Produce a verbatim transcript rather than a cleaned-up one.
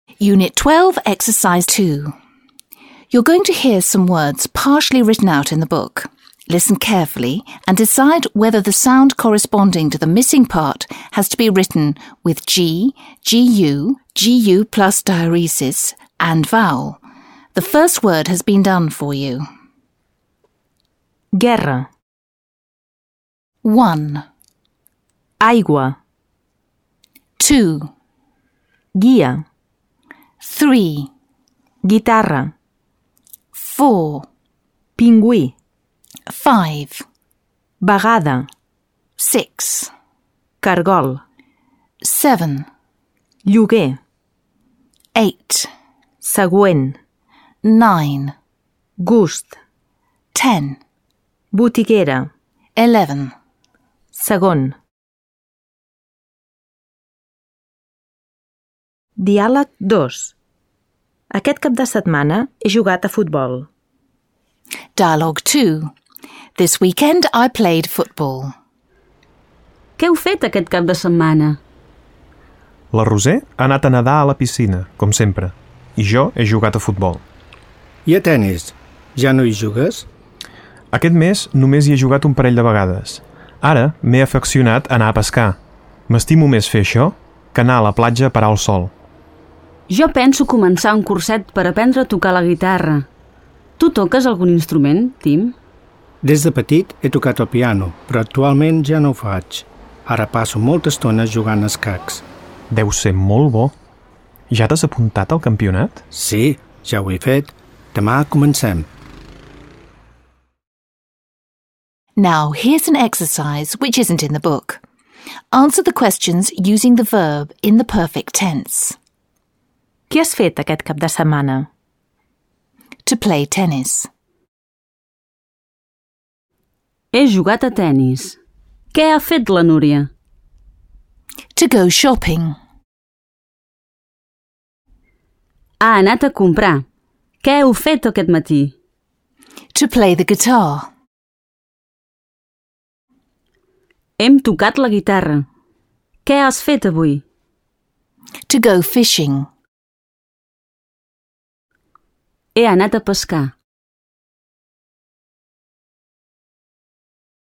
Unit twelve, Exercise two. You're going to hear some words partially written out in the book. Listen carefully and decide whether the sound corresponding to the missing part has to be written with G, Gu, Gu plus diaeresis, and vowel. The first word has been done for you. Guerra. One. Aigua. Two. Guia. Three. Guitarra. Four. Pingüí. Five. Vegada. Six. Cargol. Seven. Lloguer. Eight. Següent. Nine. Gust. Ten. Botiguera. Eleven. Segon. Diàleg dos. Aquest cap de setmana he jugat a futbol. Dialogue two. This weekend I played football. Què heu fet aquest cap de setmana? La Roser ha anat a nedar a la piscina, com sempre, i jo he jugat a futbol. I a tennis? Ja no hi jugues? Aquest mes només hi he jugat un parell de vegades. Ara m'he afeccionat a anar a pescar. M'estimo més fer això que anar a la platja a parar el sol. Jo penso començar un curset per aprendre a tocar la guitarra. Tu toques algun instrument, Tim? Des de petit he tocat el piano, però actualment ja no ho faig. Ara passo molta estona jugant a escacs. Deu ser molt bo. Ja t'has apuntat al campionat? Sí, ja ho he fet. Demà comencem. Now, here's an exercise which isn't in the book. Answer the questions using the verb in the perfect tense. Què has fet aquest cap de setmana? To play tennis. He jugat a tennis. Què ha fet la Núria? To go shopping. Ha anat a comprar. Què heu fet aquest matí? To play the guitar. Hem tocat la guitarra. Què has fet avui? To go fishing. He anat a pescar.